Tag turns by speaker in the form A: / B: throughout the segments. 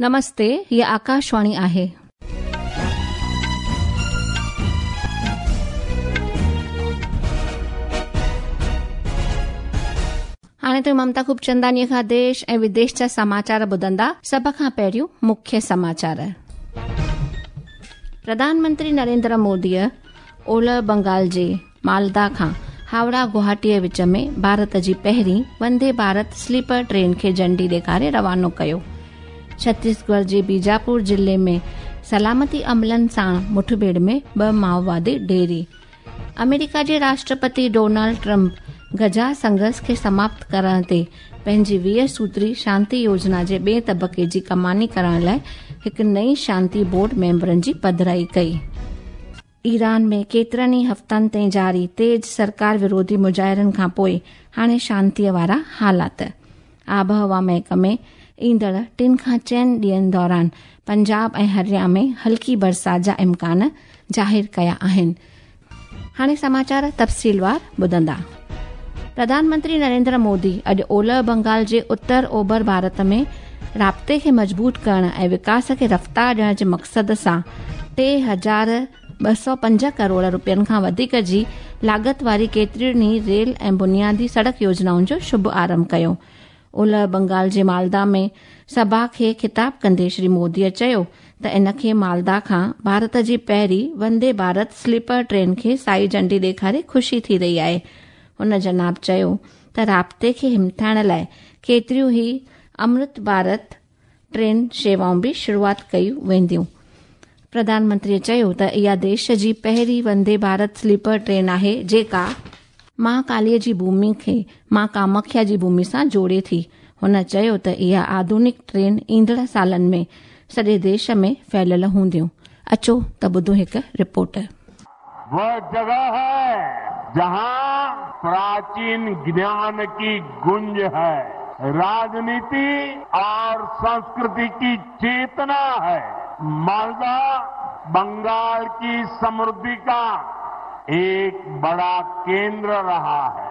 A: نمستي، هيء آڪاشواڻي آهي. هاڻي توهين ممتا خوبچندانيء کان ديش ۽ وديش جا سماچار ٻڌندا. سڀ کان پهريون مکيه سماچار. پرڌان منتري نريندر موديء اولهه بنگال جي مالدا کان هاوڙا گوهاٽيء وچ ۾ ڀارت جي پهرين وندي ڀارت سليپر ٽرين کي جهنڊي ڏيکاري روانو ڪيو. ڇتيسڳڙهه جي بيجاپور ضلعي ۾ سلامتي عملن ساڻ مٺڀيڙ ۾ ٻه مائووادي ڍيري. آمريڪا جي راشٽرپتي ڊونلڊ ٽرمپ غزا سنگهرش کي سماپت ڪرڻ تي پنهنجي 20 سوتري شانتي يوجنا جي ٻئي طبقي جي ڪماني ڪرڻ لاء هڪ نئين شانتي بورڊ ميمبرن جي پڌرائي ڪئي. ايران ۾ ڪيترن ئي هفتن تائين جاري تيز سرڪار وروڌي مظاهرن کانپوء هاڻي شانتي وارا حالات. آبهوا محڪمي ايندڙ ٽن کان چئن ڏينهن دوران پنجاب ۽ هريا ۾ هلڪي برسات جا امڪان ظاهر ڪيا آهن. هاڻي سماچار تفصيلوار ٻڌندا. پرڌان منتري نريندر مودي اڄ اولهه بنگال جي اتر اوڀر ڀارت ۾ رابطي کي مضبوط ڪرڻ ۽ وڪاس کي رفتار ڏيڻ جي مقصد سان 3205 ڪروڙ روپين کان وڌيڪ جي لاڳت واري ڪيترين ئي ريل ۽ بنيادي سڙڪ يوجنائن جو شڀ آرنڀ ڪيو. اولهه بنگال جي مالدا ۾ سڀا کي خطاب ڪندي شري مودي چيو ته ان کي مالدا کان ڀارت جي پهرين وندي ڀارت سليپر ٽرين کي سائي جهنڊي ڏيکاري خوشي ٿي رهي آهي. هن جناب چيو ته رابطي کي همٿائڻ لاء ڪيتريون ئي امرت ڀارت ٽرين شيوائون به شروعات ڪيون وينديون. پرڌان منتري چيو ته اها ديش جي پهرين وندي ڀارت سليپر ٽرين آهي جيڪا مان ڪاليء جي ڀومي کي مان ڪامکيا جي ڀومي سان جوڙي ٿي. هن چيو ته اها آڌونڪ ٽرين ايندڙ سالن ۾ سڄي ديش ۾ ڦهليل هونديون. اچو ته ٻڌون هڪ رپورٽ.
B: وه جگه هي جهان پراچين گيان ڪي گونج هي، راجنيتي اور سنسڪرتي ڪي چيتنا هي. مالدا بنگال ڪي سمرڌي ڪا ايڪ بڙا ڪيندر رها هي.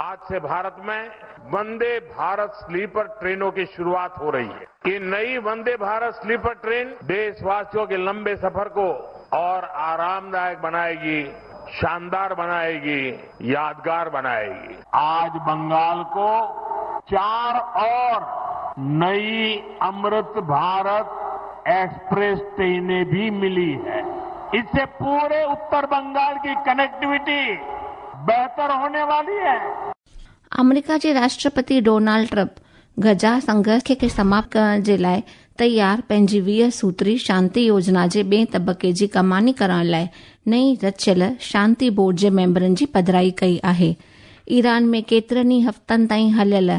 B: آج سي ڀارت مين وندي ڀارت سليپر ٽرينون ڪي شروعات هو رهي هي. يي نئي وندي ڀارت سليپر ٽرين ديش واسيون ڪي لمبي سفر ڪو اور آرامدائڪ بنائيگي، شاندار بنائيگي، يادگار بنائيگي. آج بنگال ڪو چار اور نئي امرت ڀارت ايڪسپريس ٽرينين ڀي ملي هي. اس سي پوري اتر بنگال ڪي ڪنيڪٽيوٽي بهتر هوني والي هي.
A: آمريڪا جي راشٽرپتي ڊونالڊ ٽرمپ غزا سنگهرش کي سماپت ڪرڻ جي لاء تيار پنهنجي 20 سوتري شانتي يوجنا جي ٻئي طبقي جي ڪماني ڪرڻ لاء نئين رچيل شانتي بورڊ جي ميمبرن جي پڌرائي ڪئي آهي. ايران ۾ ڪيترن ئي هفتن تائين هليل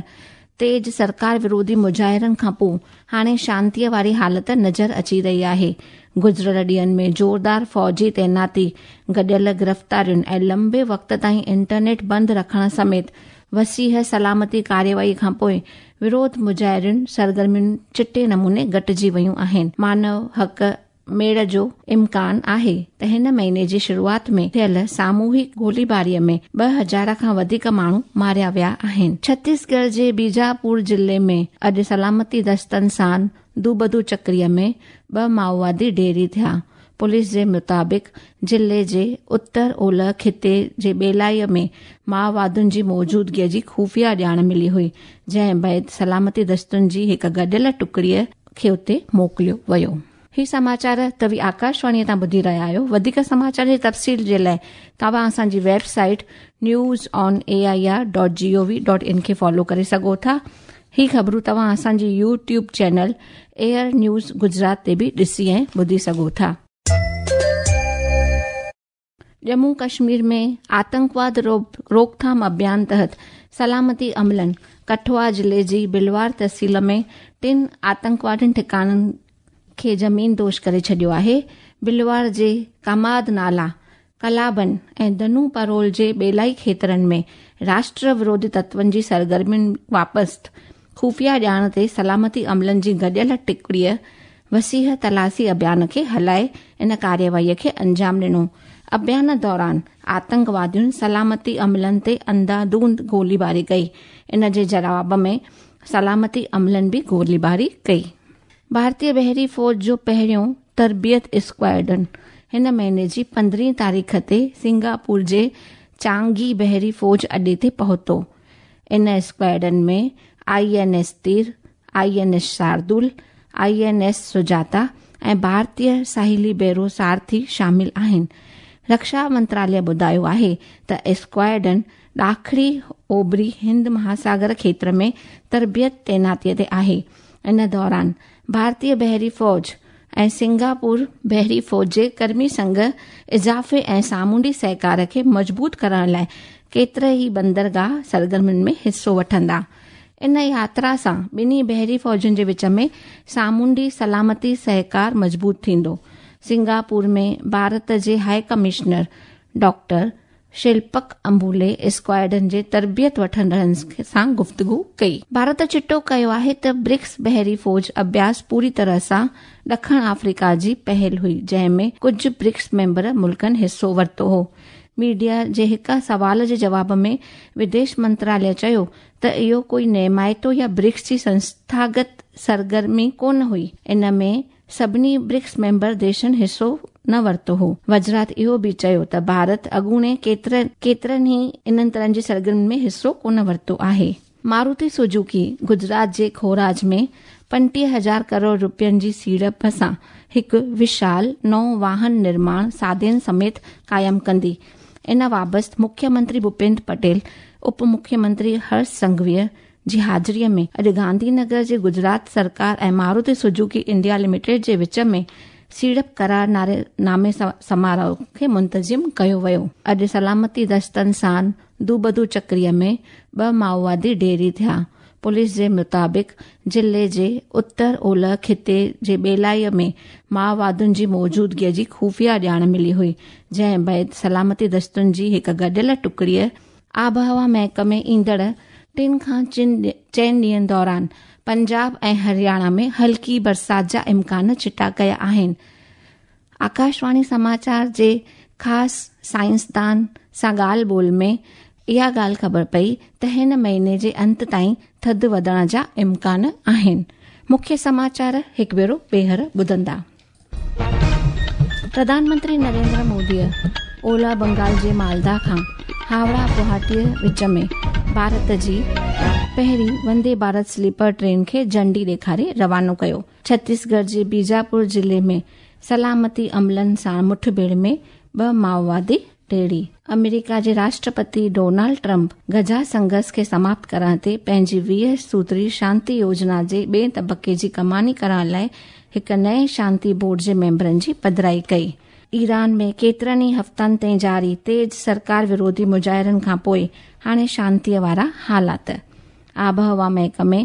A: تيز سرڪار وروڌي مظاهرن کانپوء هاڻي شانتيء واري حالت نظر اچي رهي آهي. گذريل ڏينهن ۾ زوردار فوجي تعيناتي، گڏيل گرفتارين ۽ لمبي وقت تائين انٽرنيٽ بند رکڻ سميت وسيع سلامتي ڪارروائي کانپوء وروڌ مظاهرين سرگرميون چٽي نموني گهٽجي ويون آهن. مانو حق ميڙ جو امڪان آهي ته هن مهيني جي شروعات ۾ ٿيل ساموهڪ گوليباري ۾ 2000 کان وڌيڪ ماڻهو ماريا ويا آهن. ڇتيسڳڙهه جي بيجاپور ضلعي ۾ اڄ سلامتي دستن سان دوبدو چڪري ۾ ٻه مائووادي ڍيري ٿيا. پوليس جي مطابق ضلعي جي اتر اولهه خطي جي ٻيلائي ۾ مائووادين جي موجودگي جي خفيه ڄاڻ ملي هئي، جنهن بعد سلامتي دستن جي هڪ گڏيل ٽڪڙي کي اتي موڪليو ويو. هي سماچار توهين آڪاشواڻي تان ٻڌي رهيا آهيو. وڌيڪ سماچارن جي تفصيل جي لاء توهان اسان جي website news on A I R dot G O V dot in کي فالو ڪري سگهو ٿا. هي خبرون توهان اسان جي YouTube channel air news Gujarat تي به ڏسي ۽ ٻڌي سگهو ٿا. ڄمون ڪشمير ۾ آتنڪواد روڪٿام اڀيان تحت سلامتي عملن ڪٺوا ضلعي جي بلوار تحصيل ۾ ٽن آتنڪوادين ٺڪاڻن کي زمين دوش ڪري ڇڏيو آهي. بلوار جي ڪاماد نالا، ڪلابن ۽ دنو پرول جي ٻيلائي کيترن ۾ راشٽر وروڌي تتون جي سرگرمين وابسته خفيه ڄاڻ تي سلامتي عملن جي گڏيل ٽڪڙيء وسيع تلاشي اڀيان کي هلائي ان ڪارروائيء کي انجام ڏنو. اڀيان دوران آتنڪوادين سلامتي عملن تي انڌاڌنڌ گوليباري ڪئي. ان جي جواب ۾ سلامتي عملن به گوليباري ڪئي. ڀارتيه بحري فوج جو پهريون تربيت اسڪواڊرن هن مهيني جي 15 تاريخ تي سنگاپور جي چانگي بحري فوج اڏي تي پهتو. ان squadron ۾ I N S Tir, I N S Shardul, I N S Sujata ۽ ڀارتيه ساحلي بيرو سارٿي شامل آهن. رڪشا منتراليه ٻڌايو آهي ته اسڪواڊرن ڏاکڻي اوڀري هند مهاساگر کيتر ۾ تربيت تعيناتي تي آهي. ان دوران ڀارتيه بحري فوج ۽ سنگاپور بحري فوج جي ڪرمي سنگ اضافي ۽ سامونڊي سهڪار کي مضبوط ڪرڻ لاءِ ڪيترا ئي بندرگاهه سرگرمين ۾ حصو وٺندا. ان ياترا سان ٻنهي بحري فوجن جي وچ ۾ سامونڊي سلامتي سهڪار مضبوط ٿيندو. سنگاپور ۾ ڀارت جي high commissioner doctor Shilpak Ambule squadron جي تربيت وٺندڙن سان گفتگو ڪئي. ڀارت چٽو ڪيو آهي ته برڪس بحري فوج اڀياس پوري طرح سان ڏکڻ آفريڪا جي پهل هئي، جنهن ۾ ڪجهه برڪس ميمبر ملڪن حصو ورتو هو. ميڊيا جي هڪ سوال جي جواب ۾ وديش منتراليه چيو ته اهو ڪوئي نيمائتو يا برڪس جي سنسٿاگت سرگرمي ڪونه هئي، ان ۾ سڀني برڪس ميمبر ديشن حصو نه ورتو هو. وزارت اهو به چيو ته ڀارت اڳوڻي ڪيترن ئي انهن طرحن جي سرگرمين ۾ حصو ڪونه ورتو آهي. ماروتي سوزوڪي گجرات جي کوراج ۾ 35000 ڪروڙ رپين جي سيڙپ سان هڪ وشال نئون واهن نرماڻ سادين سميت قائم ڪندي. ان بابت مکيه منتري ڀوپيندر پٽيل، اپ مکيه منتري هرش سنگهويء جي حاضريء ۾ اڄ گانڌي نگر جي گجرات سرڪار ۽ ماروتي سوزوڪي انڊيا لميٽيڊ جي وچ ۾ سيڙپ قرار نامي سماروهه کي منتظم ڪيو ويو. اڄ سلامتي دستن سان دوبدو چڪريء ۾ ٻه مائووادي ڍيري ٿيا. پوليس جي مطابق ضلعي جي اتر اولهه خطي جي ٻيلائي ۾ مائووادين جي موجودگيء جي خفيه ڄاڻ ملي هئي، جنهن بعد سلامتي دستن جي هڪ گڏيل ٽڪڙيء آبهوا محڪمي ايندڙ ٽن کان چئن ڏينهن دوران پنجاب ۽ هرياڻا ۾ هلڪي برسات جا امڪان چٽا ڪيا آهن. آڪاشواڻي سماچار جي خاص سائنسدان سان ڳالهه ٻولهه ۾ اها ڳالهه خبر پئي ته هن مهيني جي انت تائين ٿڌ وڌڻ جا امڪان آهن. مکيه سماچار هڪ ڀيرو ٻيهر ٻڌندا. پرڌان منتري نريندر موديء اولهه بنگال جي مالدا کان هاوڙا گوهاٽيء وچ ۾ ڀارت جي پهرين وندي ڀارت سليپر ٽرين کي جهنڊي ڏيکاري روانو ڪيو. ڇتيسڳڙهه جي بيجاپور ضلعي ۾ سلامتي عملن سان مٺڀيڙ ۾ ٻه مائووادي ٽيڙي. آمريڪا جي راشٽرپتي ڊونالڊ ٽرمپ غزه سنگهرش کي سماپت ڪرڻ تي پنهنجي 20 سوتري شانتي يوجنا جي ٻئي طبقي جي ڪماني ڪرڻ لاء هڪ نئين شانتي بورڊ جي ميمبرن جي پڌرائي ڪئي. ايران ۾ ڪيترن ئي هفتن تائين جاري تيز سرڪار وروڌي مظاهرن کانپوء هاڻي شانتي وارا حالات. آبهوا محڪمي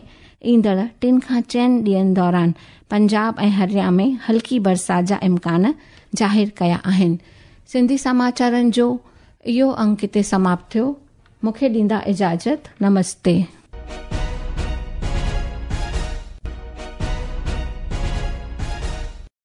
A: ايندڙ ٽن کان چئن ڏينهن دوران پنجاب ۽ هرياڻا ۾ هلڪي برسات جا امڪان ظاهر ڪيا آهن. سنڌي سماچارن جو اهو انڪ هتي سماپت ٿيو. مون کي ڏيندا اجازت. نمستي.